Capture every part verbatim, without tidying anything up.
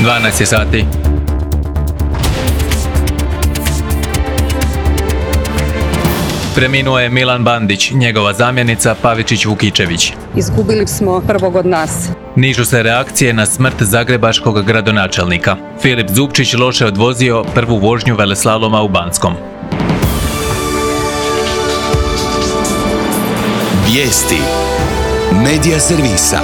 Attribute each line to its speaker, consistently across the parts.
Speaker 1: dvanaest je sati. Preminuo je Milan Bandić, njegova zamjenica Pavičić Vukičević.
Speaker 2: Izgubili smo prvog od nas.
Speaker 1: Nižu se reakcije na smrt zagrebačkog gradonačelnika. Filip Zupčić loše odvozio prvu vožnju veleslaloma u Banskom.
Speaker 3: Vijesti Medija servisa.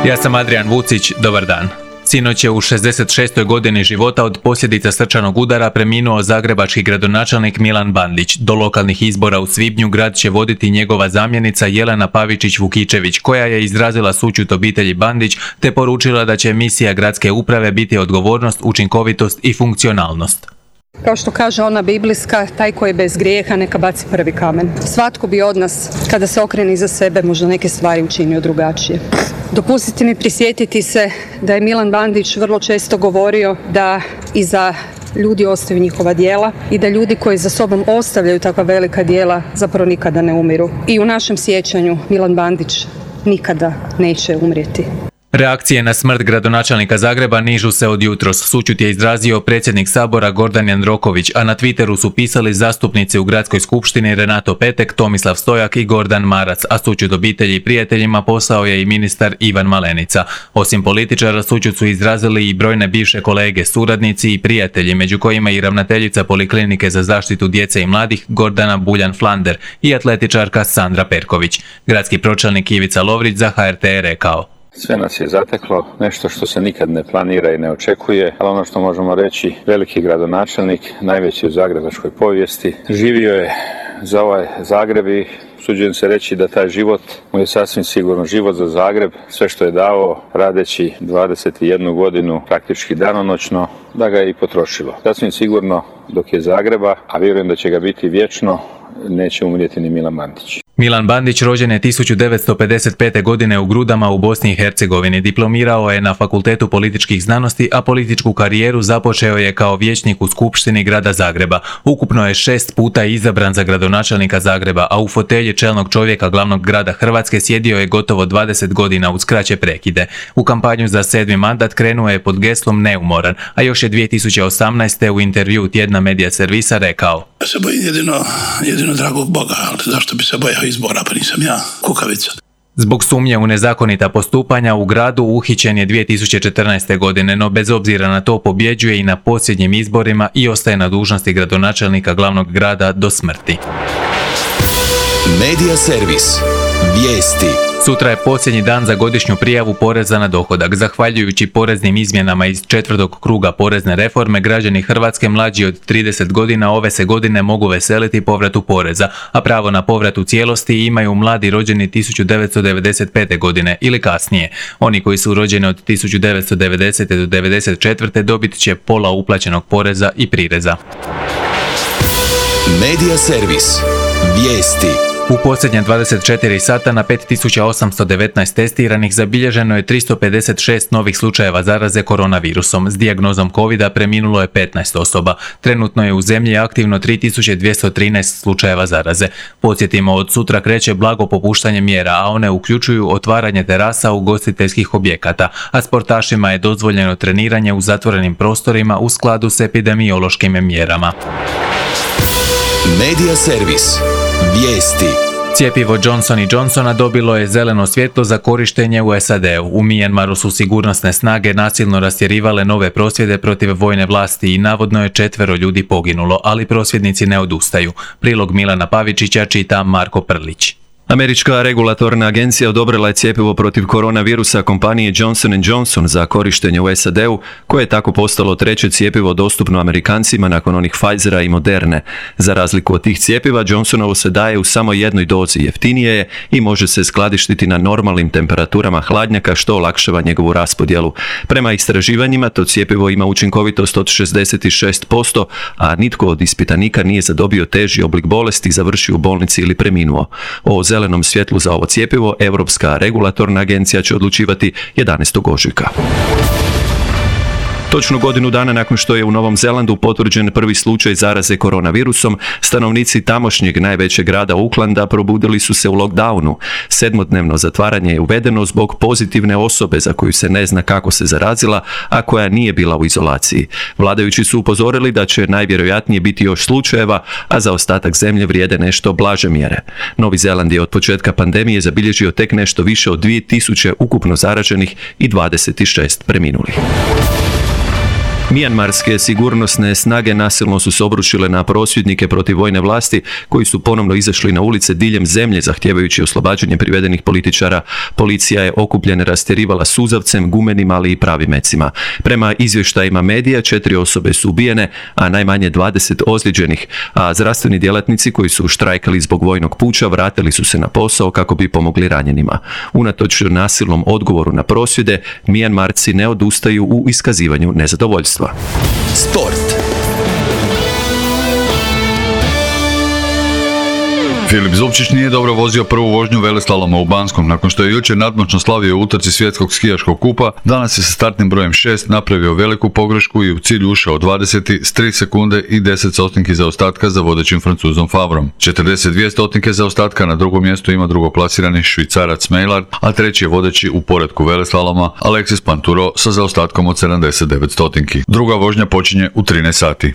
Speaker 1: Ja sam Adrian Vucić, dobar dan. Sinoć je u šezdeset šestoj godini života od posljedica srčanog udara preminuo zagrebački gradonačelnik Milan Bandić. Do lokalnih izbora u svibnju grad će voditi njegova zamjenica Jelena Pavičić Vukičević, koja je izrazila sućut obitelji Bandić te poručila da će misija gradske uprave biti odgovornost, učinkovitost i funkcionalnost.
Speaker 2: Kao što kaže ona biblijska, taj koji je bez grijeha neka baci prvi kamen. Svatko bi od nas, kada se okrene iza sebe, možda neke stvari učinio drugačije. Dopustite mi prisjetiti se da je Milan Bandić vrlo često govorio da iza ljudi ostaju njihova djela i da ljudi koji za sobom ostavljaju takva velika djela zapravo nikada ne umiru. I u našem sjećanju Milan Bandić nikada neće umrijeti.
Speaker 1: Reakcije na smrt gradonačelnika Zagreba nižu se od jutros. Sućut je izrazio predsjednik Sabora Gordan Jandroković, a na Twitteru su pisali zastupnici u Gradskoj skupštini Renato Petek, Tomislav Stojak i Gordan Marac, a sućut obitelji i prijateljima poslao je i ministar Ivan Malenica. Osim političara, sućut su izrazili i brojne bivše kolege, suradnici i prijatelji, među kojima i ravnateljica Poliklinike za zaštitu djece i mladih Gordana Buljan-Flander i atletičarka Sandra Perković. Gradski pročelnik Ivica Lovrić za H R T je rekao:
Speaker 4: Sve nas je zateklo, nešto što se nikad ne planira i ne očekuje, ali ono što možemo reći, veliki gradonačelnik, najveći u zagrebačkoj povijesti, živio je za ovaj Zagreb i usuđujem se reći da taj život mu je sasvim sigurno život za Zagreb, sve što je dao radeći dvadeset jednu godinu praktički danonoćno, da ga je i potrošilo. Sasvim sigurno dok je Zagreba, a vjerujem da će ga biti vječno, neće umrijeti ni Milan Bandić.
Speaker 1: Milan Bandić rođen je tisuću devetsto pedeset pete. godine u Grudama u Bosni i Hercegovini. Diplomirao je na Fakultetu političkih znanosti, a političku karijeru započeo je kao vijećnik u Skupštini grada Zagreba. Ukupno je šest puta izabran za gradonačelnika Zagreba, a u fotelji čelnog čovjeka glavnog grada Hrvatske sjedio je gotovo dvadeset godina uz kraće prekide. U kampanju za sedmi mandat krenuo je pod geslom neumoran, a još je dvije tisuće osamnaeste. u intervju tjedna Medija servisa rekao:
Speaker 5: Ja se bojim jedino, jedino dragog Boga, ali zašto bi se bojao izbora, pa nisam ja kukavica.
Speaker 1: Zbog sumnje u nezakonita postupanja u gradu uhićen je dvije tisuće četrnaeste. godine, no bez obzira na to pobjeđuje i na posljednjim izborima i ostaje na dužnosti gradonačelnika glavnog grada do smrti.
Speaker 3: Medija servis. Vijesti.
Speaker 1: Sutra je posljednji dan za godišnju prijavu poreza na dohodak. Zahvaljujući poreznim izmjenama iz četvrtog kruga porezne reforme, građani Hrvatske mlađi od trideset godina ove se godine mogu veseliti povratu poreza, a pravo na povrat u cijelosti imaju mladi rođeni tisuću devetsto devedeset pete. godine ili kasnije. Oni koji su rođeni od tisuću devetsto devedesete. do devedeset četvrte. dobit će pola uplaćenog poreza i prireza.
Speaker 3: Medija servis. Vijesti.
Speaker 1: U posljednje dvadeset četiri sata na pet tisuća osamsto devetnaest testiranih zabilježeno je tristo pedeset šest novih slučajeva zaraze koronavirusom. S dijagnozom covida preminulo je petnaest osoba. Trenutno je u zemlji aktivno tri tisuće dvjesto trinaest slučajeva zaraze. Podsjetimo, od sutra kreće blago popuštanje mjera, a one uključuju otvaranje terasa ugostiteljskih objekata, a sportašima je dozvoljeno treniranje u zatvorenim prostorima u skladu s epidemiološkim mjerama.
Speaker 3: Medija servis. Vijesti.
Speaker 1: Cjepivo Johnson and Johnsona dobilo je zeleno svjetlo za korištenje u S A D-u. U Mijanmaru su sigurnosne snage nasilno rastjerivale nove prosvjede protiv vojne vlasti i navodno je četvero ljudi poginulo, ali prosvjednici ne odustaju. Prilog Milana Pavičića čita Marko Prlić.
Speaker 6: Američka regulatorna agencija odobrila je cjepivo protiv koronavirusa kompanije Johnson and Johnson za korištenje u S A D-u, koje je tako postalo treće cjepivo dostupno Amerikancima nakon onih Pfizera i Moderne. Za razliku od tih cjepiva, Johnsonovo se daje u samo jednoj dozi, jeftinije je i može se skladištiti na normalnim temperaturama hladnjaka, što olakšava njegovu raspodjelu. Prema istraživanjima, to cjepivo ima učinkovitost od šezdeset šest posto, a nitko od ispitanika nije zadobio teži oblik bolesti, završio u bolnici ili preminuo. O zelenom svjetlu za ovo cjepivo Europska regulatorna agencija će odlučivati jedanaestog ožujka. Točno godinu dana nakon što je u Novom Zelandu potvrđen prvi slučaj zaraze koronavirusom, stanovnici tamošnjeg najvećeg grada Aucklanda probudili su se u lockdownu. Sedmodnevno zatvaranje je uvedeno zbog pozitivne osobe za koju se ne zna kako se zarazila, a koja nije bila u izolaciji. Vladajući su upozorili da će najvjerojatnije biti još slučajeva, a za ostatak zemlje vrijede nešto blaže mjere. Novi Zeland je od početka pandemije zabilježio tek nešto više od dvije tisuće ukupno zaraženih i dvadeset šest preminulih. Mijanmarske sigurnosne snage nasilno su se obrušile na prosvjednike protiv vojne vlasti koji su ponovno izašli na ulice diljem zemlje zahtijevajući oslobađanje privedenih političara. Policija je okupljene rastjerivala suzavcem, gumenim, ali i pravim mecima. Prema izvještajima medija, četiri osobe su ubijene, a najmanje dvadeset ozlijeđenih, a zdravstveni djelatnici koji su štrajkali zbog vojnog puča vratili su se na posao kako bi pomogli ranjenima. Unatoč nasilnom odgovoru na prosvjede, Mijanmarci ne odustaju u iskazivanju nezadovoljstva.
Speaker 3: Sport.
Speaker 7: Filip Zupčić nije dobro vozio prvu vožnju veleslaloma u Banskom. Nakon što je jučer nadmoćno slavio u utrci svjetskog skijaškog kupa, danas je sa startnim brojem šest napravio veliku pogrešku i u cilj ušao dvadeseti s tri sekunde i deset stotinki zaostatka za vodećim Francuzom Favrom. četrdeset dvije stotinke zaostatka na drugom mjestu ima drugoplasirani Švicarac Meillard, a treći je vodeći u poretku veleslaloma Alexis Pinturo sa zaostatkom od sedamdeset devet stotinki. Druga vožnja počinje u trinaest sati.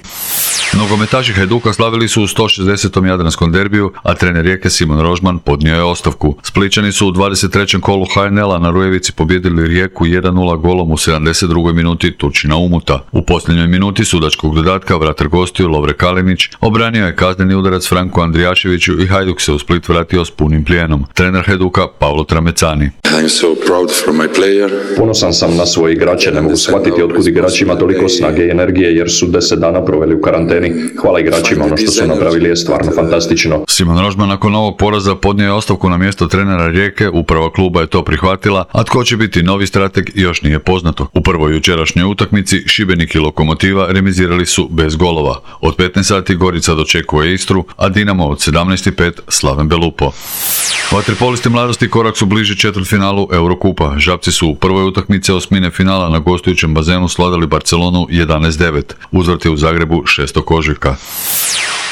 Speaker 7: Nogometaši Hajduka slavili su u sto šezdesetom jadranskom derbiju, a trener Rijeke Simon Rožman podnio je ostavku. Splićani su u dvadeset trećem kolu H N L-a na Rujevici pobijedili Rijeku jedan nula golom u sedamdeset drugoj minuti Turčina Umuta. U posljednjoj minuti sudačkog dodatka vratar gostiju Lovre Kalinić obranio je kazneni udarac Franku Andrijaševiću i Hajduk se u Split vratio s punim plijenom. Trener Hajduka Paolo Tramecani.
Speaker 8: Ponosan sam na svoje igrače, ne mogu shvatiti otkud igrači ima toliko snage i energije jer su deset dana proveli u karanteni. Hvala igračima, ono što su napravili je stvarno fantastično.
Speaker 7: Simon Rožman nakon ovog poraza podnio je ostavku na mjesto trenera Rijeke, uprava kluba je to prihvatila, a tko će biti novi strateg još nije poznato. U prvoj jučerašnjoj utakmici Šibenik i Lokomotiva remizirali su bez golova. Od petnaest sati Gorica dočekuje Istru, a Dinamo od sedamnaest i pet Slaven Belupo. Vaterpolisti mladosti korak su bliži četvrtfinalu Eurokupa. Žabci su u prvoj utakmici osmine finala na gostujućem bazenu svladali Barcelonu jedanaest devet. Uzvrat je u Zagrebu šestog ožujka.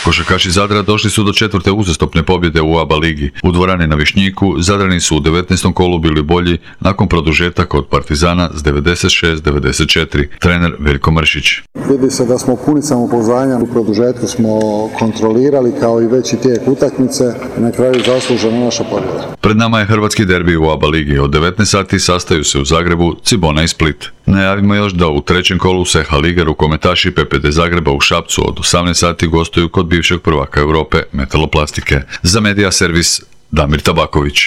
Speaker 7: Košarkaši Zadra došli su do četvrte uzastopne pobjede u A B A ligi. U dvorani na Višnjiku Zadrani su u devetnaestom kolu bili bolji nakon produžetaka od Partizana s devedeset šest devedeset četiri. Trener Veljko Mršić.
Speaker 9: Vidi se da smo puni samopouzdanja, u produžetku smo kontrolirali kao i veći tijek utakmice i na kraju zaslužena naša pobjeda.
Speaker 7: Pred nama je hrvatski derbi u A B A ligi. Od devetnaest sati sastaju se u Zagrebu Cibona i Split. Najavimo još da u trećem kolu S H lige rukometaši P P D Zagreba u Šapcu od osamnaest sati gostuju kod bivšeg prvaka Europe Metaloplastike. Za Medija servis Damir Tabaković.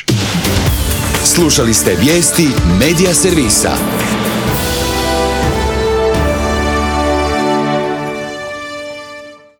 Speaker 3: Slušali ste vijesti Medija servisa.